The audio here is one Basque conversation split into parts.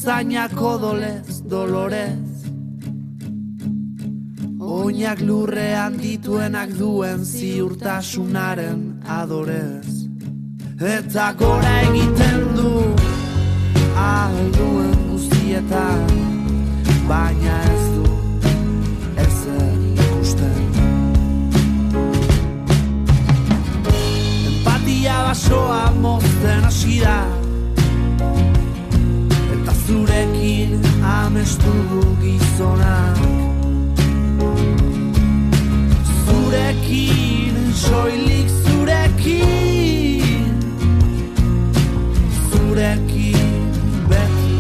zainak odolez, dolorez, oinak lurrean dituenak duen ziurtasunaren adorez, eta gora egiten du alduen guztietan, baina ez du ezer ikusten. Empatia basoa mozten hasi da, eta zurekin amestu du gizonak. Zurekin, soilik zurekin, zurekin beti.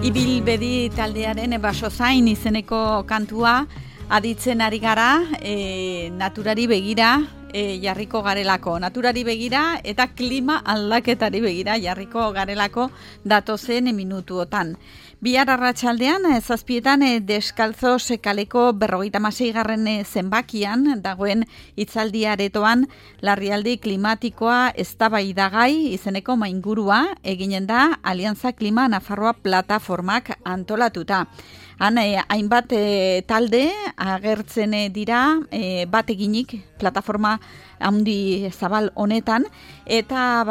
Ibilbedi taldearen Basozain izeneko kantua aditzen ari gara, naturari begira jarriko garelako. Naturari begira eta klima aldaketari begira jarriko garelako datozen minutuotan. Bihar arratsaldean 7:00 Deskaltzos kaleko 56. zenbakian dagoen hitzaldi aretoan larrialdi klimatikoa eztabaidagai izeneko maingurua eginen da Aliantza Klima Nafarroa plataformak antolatuta. Han hainbat talde agertzen dira bat eginik plataforma handi zabal honetan, eta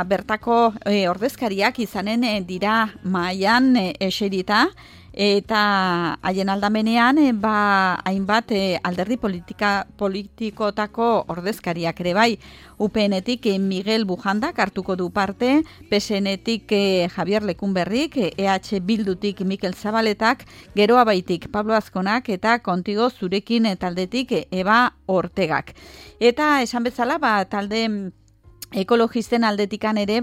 bertako ordezkariak izanen dira mahaian eserita, eta haien aldamenean hainbat alderdi politikotako ordezkariak ere bai. UPN-etik Miguel Bujandak hartuko du parte, PSN-etik Javier Lekunberrik, EH Bildutik Mikel Zabaletak, Geroa Baitik Pablo Azkonak eta Kontigo Zurekin taldetik Eba Ortegak. Eta esan bezala talde ekologisten aldetikan ere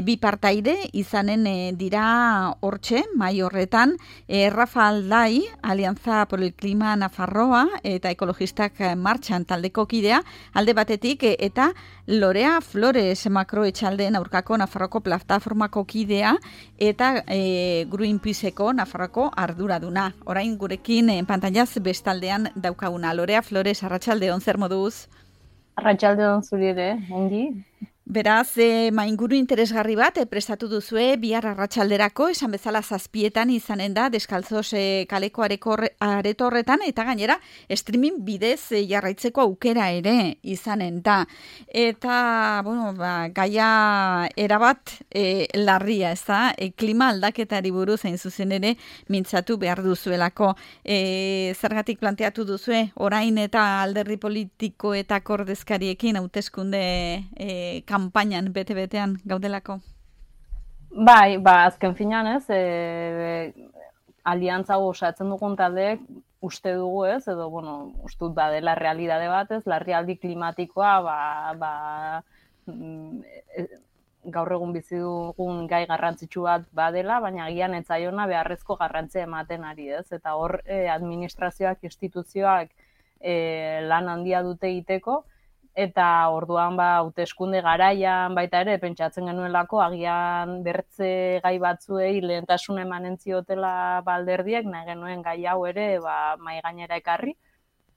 bi partaide izanen dira hortxe, mai horretan, Rafa Aldai, Alianza por el Clima Nafarroa eta ekologistak martxan taldeko kidea, alde batetik, eta Lorea Flores makroetxaldeen aurkako Nafarroko plataformako kidea eta Greenpeaceko Nafarroko arduraduna. Orain gurekin pantailaz bestaldean daukaguna. Lorea Flores, arratsaldeon, zer moduz? Arratsaldeon zuri ere, ongi. Beraz, mainguru interesgarri bat prestatu duzue bihar arratsalderako, esan bezala 7:00 izanen da Deskaltzos kaleko areto horretan, eta gainera streaming bidez jarraitzeko aukera ere izanen da. Eta, gaia erabat larria, ez da? Klima aldaketari buruz hain zuzen ere mintzatu behar duzuelako. Zergatik planteatu duzue, orain eta alderdi politikoetako ordezkariekin hauteskunde kanpainan bete-betean gaudelako? Bai, azken finean ez, aliantza osatzen dugun taldeek uste dugu ez, edo, uste dut badela realidade bat ez, larrialdi klimatikoa, gaur egun bizi dugun gai garrantzitsu bat badela, baina agian ez zaiona beharrezko garrantzia ematen ari ez, eta hor administrazioak, instituzioak lan handia dute egiteko, eta orduan hauteskunde garaian baita ere pentsatzen genuelako agian bertze gai batzuei lehentasun emanen ziotela alderdiek, nahi genuen gai hau ere mahai gainera ekarri,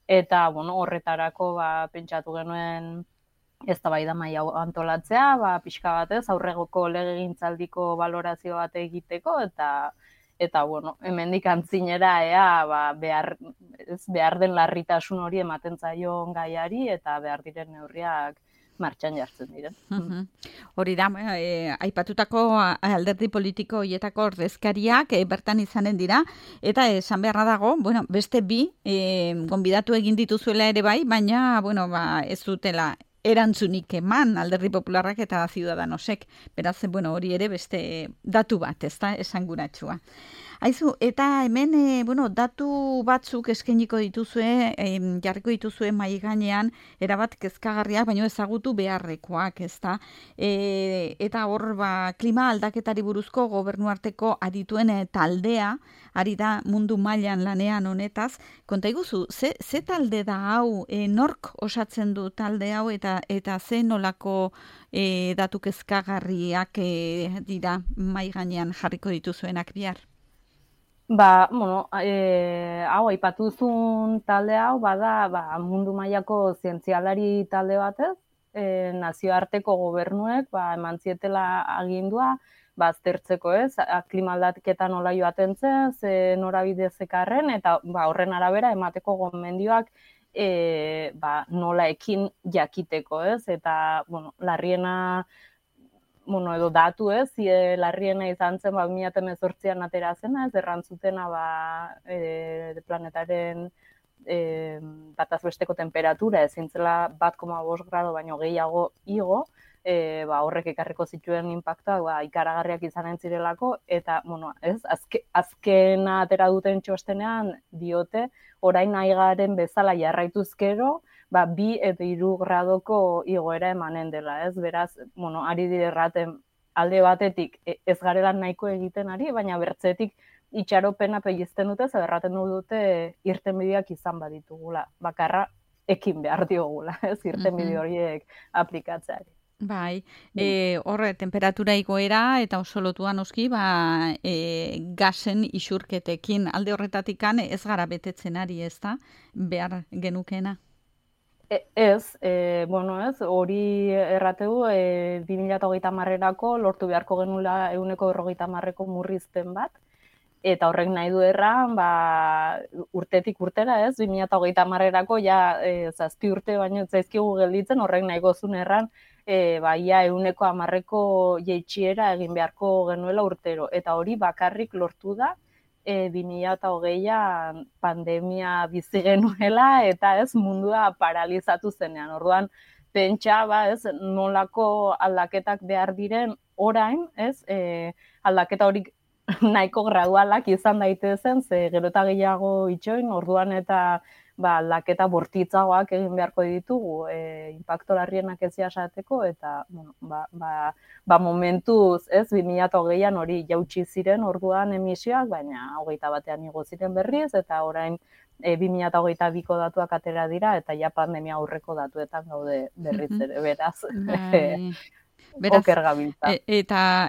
eta horretarako pentsatu genuen eztabaida mahai hau antolatzea, pixka batez aurregoko legegintzaldiko balorazio bat egiteko, eta hemendik antzinera behar den larritasun hori ematen zaion gaiari eta behar diren neurriak martxan jartzen diren. Hori da, aipatutako alderdi politiko hietako ordezkariak bertan izanen dira, eta esan beharra dago, beste bi gonbidatu egin dituzuela ere bai, baina ez dutela erantzunik eman alderdi popularrak eta Ciudadanosek. Beraz, hori ere beste datu bat, ez da, esanguratsua. Aizu, eta hemen, datu batzuk eskainiko dituzue, jarriko dituzue mahai gainean, erabat kezkagarriak, baino ezagutu beharrekoak, ez da. Eta hor, klima aldaketari buruzko gobernuarteko adituen taldea, ari da mundu mailan lanean honetaz. Konta iguzu, ze talde da hau, nork osatzen du talde hau, eta ze nolako datu kezkagarriak dira mahai gainean jarriko dituzuenak bihar? Hau aipatu duzun talde hau bada mundu mailako zientzialari talde batez, nazioarteko gobernuek eman zietela agindua aztertzeko, ez, klima aldaketa nola joaten zen, ze norabide zekarren, eta horren arabera emateko gomendioak nola ekin jakiteko, ez, eta larriena edo datu, ez, larriena izan zen 2018an atera zena, ez, errantzutena planetaren bataz besteko temperatura ezin zela 1,5 grado baino gehiago igo, horrek ekarriko zituen inpaktuak ikaragarriak izanen zirelako, eta, ez, azkena atera duten txostenean diote, orain nahi garen bezala jarraituz gero, 2 eta 3 gradoko igoera emanen dela, ez? Beraz, ari dire erraten alde batetik ez garela nahiko egiten ari, baina bertzetik itxaropena pegizten dute, ze erraten dute irtenbideak izan baditugula. Bakarra ekin behar diogula, ez? Irtenbide horiek aplikatzeari. Bai, horre, temperatura igoera eta oso lotua noski, gasen isurketekin alde horretatikan ez gara betetzen ari, ez da? Behar genukena. Ez, hori errategu 2030erako lortu beharko genula 150ko murrizpen bat, eta horrek nahi du erran, urtetik urtera, ez, 2030erako ja 7 urte baino zaizkigu gelditzen, horrek nahi gozun erran, ia 110ko jeitsiera egin beharko genuela urtero, eta hori bakarrik lortu da 2020an pandemia bizi genuela eta ez mundua paralizatu zenean. Orduan pentsa ez nolako aldaketak behar diren orain, ez? Aldaketa hori nahiko gradualak izan daitezen, ze gero eta gehiago itxoin, orduan eta aldaketa bortitzagoak egin beharko ditugu, inpakto larrienak ez jasateko, eta momentuz, ez, 2020an hori jautsi ziren orduan emisioak, baina 21ean igo ziren berriz, eta orain 2022ko datuak atera dira, eta ja pandemia aurreko datuetan gaude berriz ere, beraz. Oker gabiltza. Eta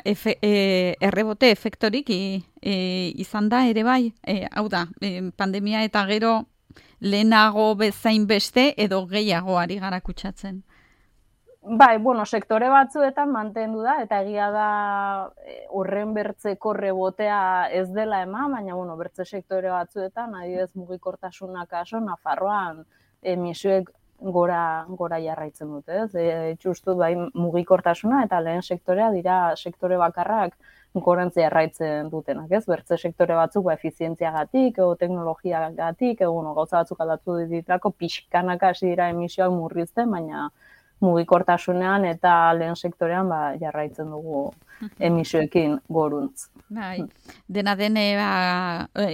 errebote efektorik izan da ere bai, hau da, pandemia eta gero lehenago bezain beste edo gehiago ari gara kutsatzen? Sektore batzuetan mantendu da, eta egia da horren bertzeko rebotea ez dela eman, baina bertze sektore batzuetan, adibidez mugikortasuna kaso, Nafarroan emisioek gora jarraitzen dute, ez? Justu mugikortasuna eta lehen sektorea dira sektore bakarrak gorantzi jarraitzen dutenak, ez? Bertze sektore batzuk efizientziagatik, edo teknologiagatik, gauza batzuk aldatu ditrako pixkanaka hasi dira emisioak murrizten, baina mugikortasunean eta lehen sektorean jarraitzen dugu emisioekin goruntz. Bai, dena dene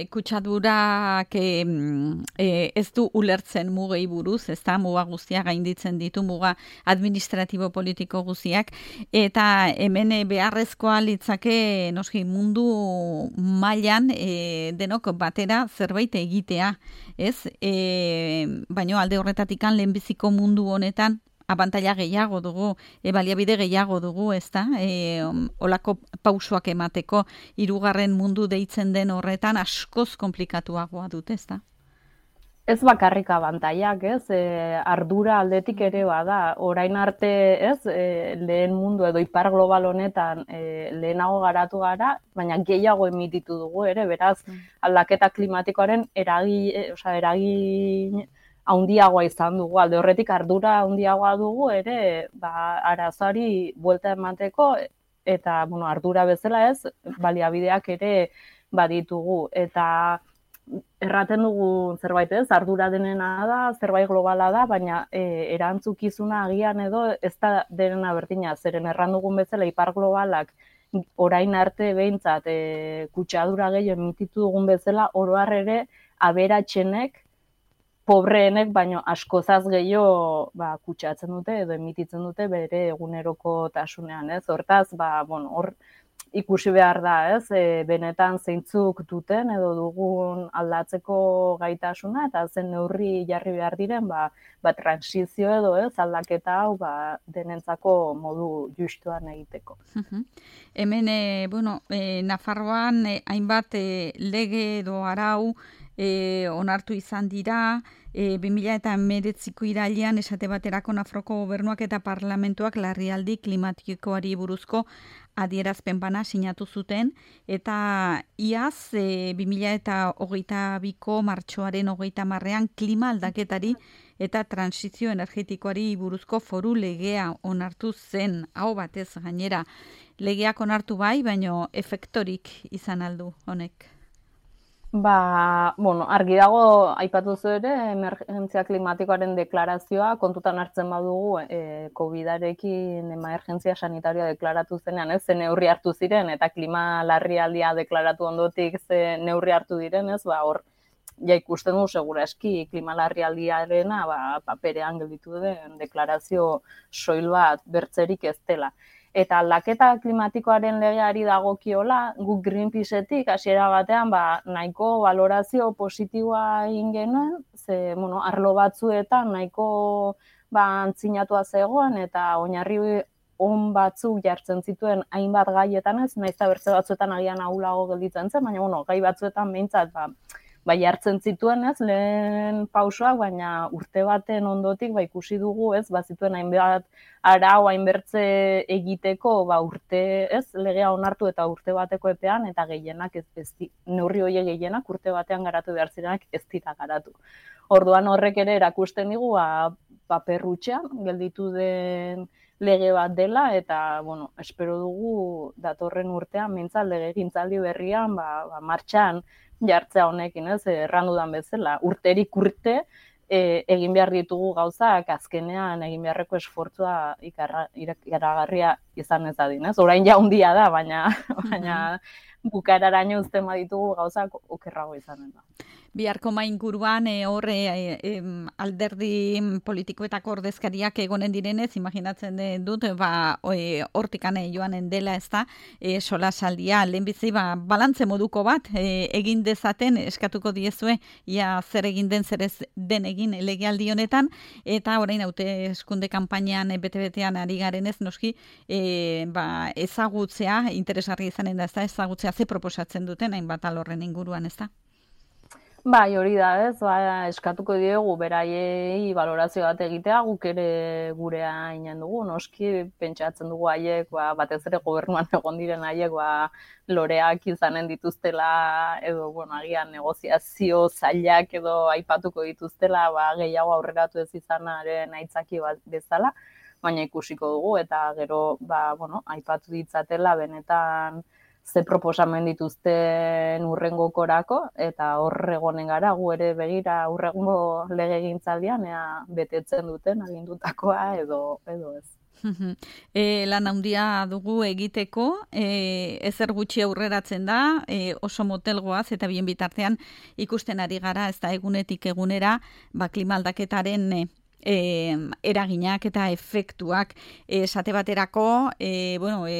kutsadurak ez du ulertzen mugei buruz, ez da muga guztiak gainditzen ditu, muga administratibo politiko guztiak, eta hemen beharrezkoa litzake noski mundu mailan denok batera zerbait egitea, ez? Baino alde horretatikan lehenbiziko mundu honetan abantaila gehiago dugu, baliabide gehiago dugu, ez da? Olako pausoak emateko, 3. mundu deitzen den horretan askoz komplikatuagoa dut, ez da? Ez bakarrik abantailak, ez? Ardura aldetik ere bada. Orain arte, ez? Lehen mundu edo ipar global honetan lehenago garatu gara, baina gehiago emititu dugu ere, beraz, aldaketa klimatikoaren eragin handiagoa izan dugu, alde horretik ardura handiagoa dugu ere, arazoari buelta emateko, eta, ardura bezala ez, baliabideak ere baditugu, eta erraten dugu zerbait ez, ardura denena da, zerbait globala da, baina erantzukizuna agian edo ez da denena berdina, zeren erran dugun bezala ipar globalak orain arte behintzat kutsadura gehiago emititu dugun bezala, oro har ere aberatsenek pobreenek baino askozaz gehiago kutsatzen dute edo emititzen dute bere eguneroko tasunean, ez? Hortaz, hor ikusi behar da, ez, benetan zeintzuk duten edo dugun aldatzeko gaitasuna eta zen neurri jarri behar diren, transizio edo, ez, aldaketa hau, denentzako modu justuan egiteko. Hemen, Nafarroan hainbat lege edo arau onartu izan dira, 2019ko irailean esate baterako Nafarroko gobernuak eta parlamentuak larrialdi klimatikoari buruzko adierazpen bana sinatu zuten, eta iaz 2022ko martxoaren 30ean klima aldaketari eta transizio energetikoari buruzko foru legea onartu zen, hau batez gainera. Legeak onartu bai, baino efektorik izan aldu honek. Argi dago, aipatu zu ere, emergentzia klimatikoaren deklarazioa kontutan hartzen badugu, COVID-arekin emergentzia sanitarioa deklaratu zenean, ez, ze neurri hartu ziren, eta klima larrialdia deklaratu ondotik ze neurri hartu diren, ez, hor, ja ikusten du segurazki klima larrialdiarena, paperean gelditu den deklarazio soil bat bertzerik ez dela. Eta aldaketa klimatikoaren legeari dagokiola, guk Greenpeaceetik hasiera batean nahiko valorazio positiboa egin genuen, ze arlo batzuetan nahiko antzinatua zegoen eta oinarri on batzuk jartzen zituen hainbat gaietan, ez, nahiz eta bertze batzuetan agian ahulago gelditzen zen, baina gai batzuetan behintzat jartzen zituen, ez, lehen pausoak, baina urte baten ondotik ikusi dugu, ez, zituen hainbat arau hainbertze egiteko, urte, ez, legea onartu eta urte bateko epean, eta gehienak neurri horiek gehienak urte batean garatu behar zirenak ez dira garatu. Orduan horrek ere erakusten digu, paperrutxean gelditu den lege bat dela, eta, espero dugu datorren urtean, mintzat legegintzaldi berrian, martxan jartzea honekin, ez, errandudan bezala, urterik urte, egin behar ditugu gauzak, azkenean egin beharreko esfortzua ikaragarria izan ez dadin, ez? Orain ja handia da, baina bukaeraraino uzten baditugu gauzak okerrago izanen da. Biharko inguruan alderdi politikoetako ordezkariak egonen direnez, imaginatzen dut, hortikan joanen dela, ez da, solasaldia, lehenbizi, balantze moduko bat, egin dezaten, eskatuko diezue, ia zer egin den, zer ez den egin legealdi honetan, eta orain hauteskunde kanpainan bete-betean ari garenez, noski, ezagutzea, interesgarri izanen da, ez da, ezagutzea ze proposatzen duten, hainbat alorren inguruan, ez da? Hori da, ez, eskatuko diegu beraiei valorazio bat egitea, guk ere gurea inen dugu, noski pentsatzen dugu haiek, batez ere gobernuan egon diren haiek, loreak izanen dituztela, edo, agian negoziazio zailak edo aipatuko dituztela, gehiago aurreratu ez izanaren aitzaki bat bezala, baina ikusiko dugu, eta gero, aipatu ditzatela benetan ze proposamen dituzten urrengokorako, eta hor egonen gara, gu ere begira urrengo legegintzaldian, betetzen duten agindutakoa edo ez. Lan handia dugu egiteko, ezer gutxi aurreratzen da, oso motelgoaz eta bien bitartean ikusten ari gara, ez da egunetik egunera, klima aldaketaren eraginak eta efektuak esate baterako,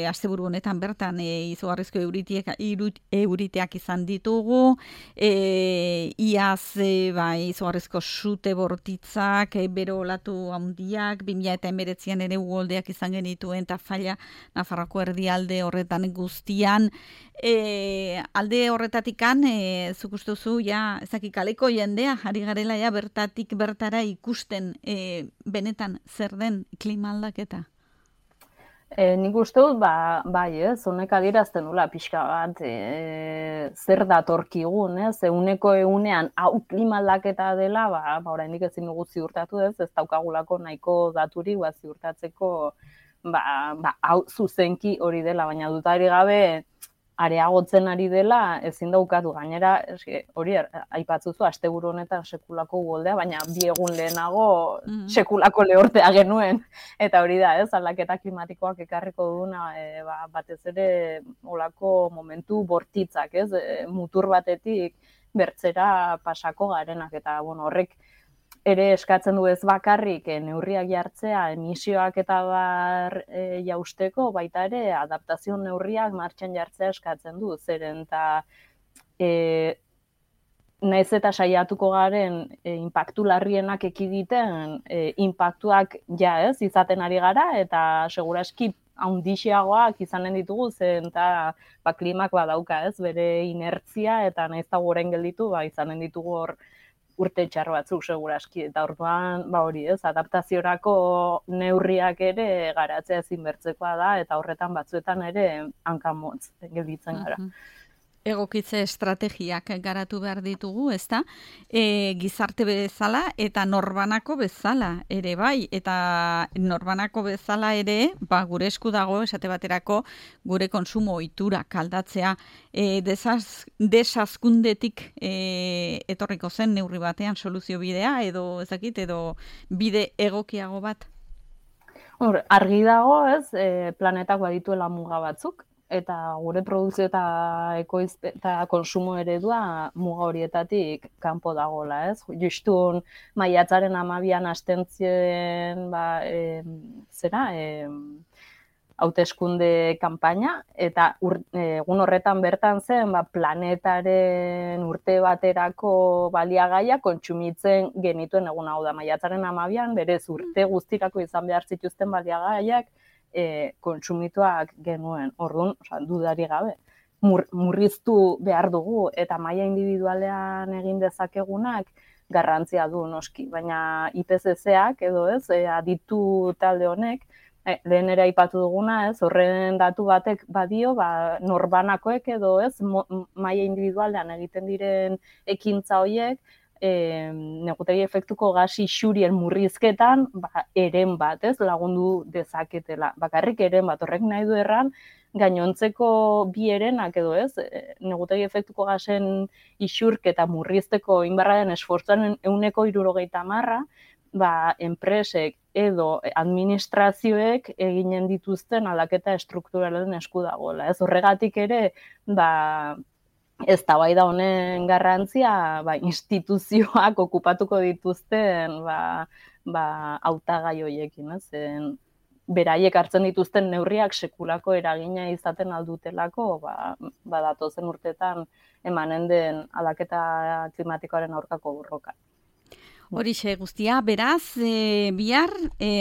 asteburu honetan bertan izugarrizko euriteak izan ditugu, iaz izugarrizko sute bortitzak, bero olatu handiak, 2019an ere uholdeak izan genituen eta falla Nafarroako erdialde horretan guztian, alde horretatikan, zuk uste duzu, kaleko jendea, ari garela bertatik bertara ikusten benetan zer den klima aldaketa? Nik uste dut, honek adierazten dula pixka bat, zer datorkigun, uneko egunean hau klima aldaketa dela, oraindik ezin dugu ziurtatu ez daukagulako nahiko daturik ziurtatzeko hau zuzenki hori dela, baina dutari gabe areagotzen ari dela, ezin daukatu gainera, hori aipatzuzu, asteburu honetan sekulako uholdea, baina 2 egun lehenago sekulako lehortea genuen, eta hori da, aldaketa klimatikoak ekarriko duna, batez ere olako momentu bortitzak, mutur batetik bertzera pasako garenak, eta horrek ere eskatzen du ez bakarrik neurriak jartzea emisioak eta bar jausteko, baita ere adaptazio neurriak martxan jartzea eskatzen du, zeren eta naiz eta saiatuko garen inpaktu larrienak ekiditen, inpaktuak ez izaten ari gara, eta seguraski haundixeagoak izanen ditugu, zen eta klimak badauka bere inertzia, eta naiz eta goren gelditu, izanen ditugu hor urte txar batzuk seguraski, eta orduan hori adaptaziorako neurriak ere garatzea ezinbertzekoa da, eta horretan batzuetan ere hankamotz gelditzen gara. Egokitze estrategiak garatu behar ditugu, ezta? Gizarte bezala eta norbanako bezala ere bai, eta norbanako bezala ere, gure esku dago esate baterako gure konsumo ohiturak aldatzea, desazkundetik etorriko zen neurri batean soluzio bidea, edo bide egokiago bat? Argi dago, planetak badituela muga batzuk, eta gure produkzio eta ekoizpen eta konsumo eredua muga horietatik kanpo dagoela, Justun maiatzaren 12an hasten ziren hauteskunde kanpaina, eta egun horretan bertan zen planetaren urte baterako baliagaia kontsumitzen genituen egun hau da. Maiatzaren 12an berez urte guztirako izan behar zituzten baliagaiak kontsumituak genuen. Orduan, dudari gabe, murriztu behar dugu, eta maila individualean egin dezakegunak garrantzia du noski, baina IPCC-ak edo aditu talde honek, lehen ere aipatu duguna, horren datu batek badio, norbanakoek edo maila individualean egiten diren ekintza horiek, negutegi efektuko gas isurien murrizketan eren bat lagundu dezaketela. Bakarrik eren bat, horrek nahi du erran, gainontzeko bi erenak edo negutegi efektuko gasen isurketa murrizteko inbarraren esfortzaren 70%, enpresek edo administrazioek eginen dituzten aldaketa estrukturalen esku dagoela. Horregatik ere, eztabaida honen garrantzia instituzioak okupatuko dituzten hautagai horiekin, beraiek hartzen dituzten neurriak sekulako eragina izaten aldutelako, datozen urtetan emanen den aldaketa klimatikoaren aurkako borroka. Horixe guztia, beraz, bihar,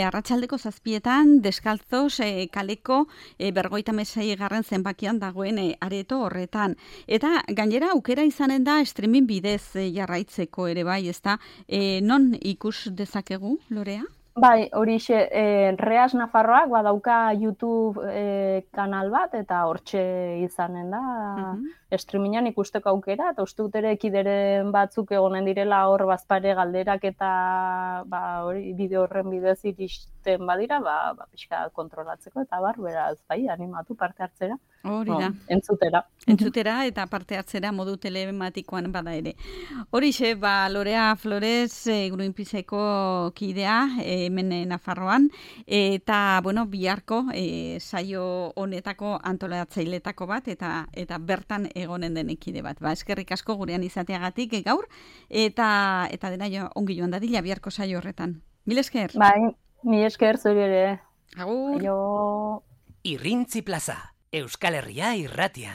arratsaldeko 7etan, deskaltzos kaleko 56. zenbakian dagoen areto horretan. Eta gainera aukera izanen da streaming bidez jarraitzeko ere bai, ezta? Non ikus dezakegu, Lorea? Bai, horixe, Reas Nafarroak badauka YouTube kanal bat, eta hortxe izanen da streamingan ikusteko aukera, eta uste dut ere kideren batzuk egonen direla hor bazpare galderak eta bideo horren bidez iristen badira, pixka kontrolatzeko, eta beraz, animatu parte hartzera. Hori da. Entzutera. Entzutera eta parte hartzera modu telematikoan bada ere. Horixe, Lorea Flores, Greenpeaceko kidea, hemen Nafarroan, eta, biharko saio honetako antolatzailetako bat, eta bertan egonen den ekide bat. Eskerrik asko gurean izateagatik gaur, eta dena ongi joan dadila biharko saio horretan. Mil esker. Mil esker zuri ere. Agur. Aio. Irrintzi Plaza, Euskal Herria irratia.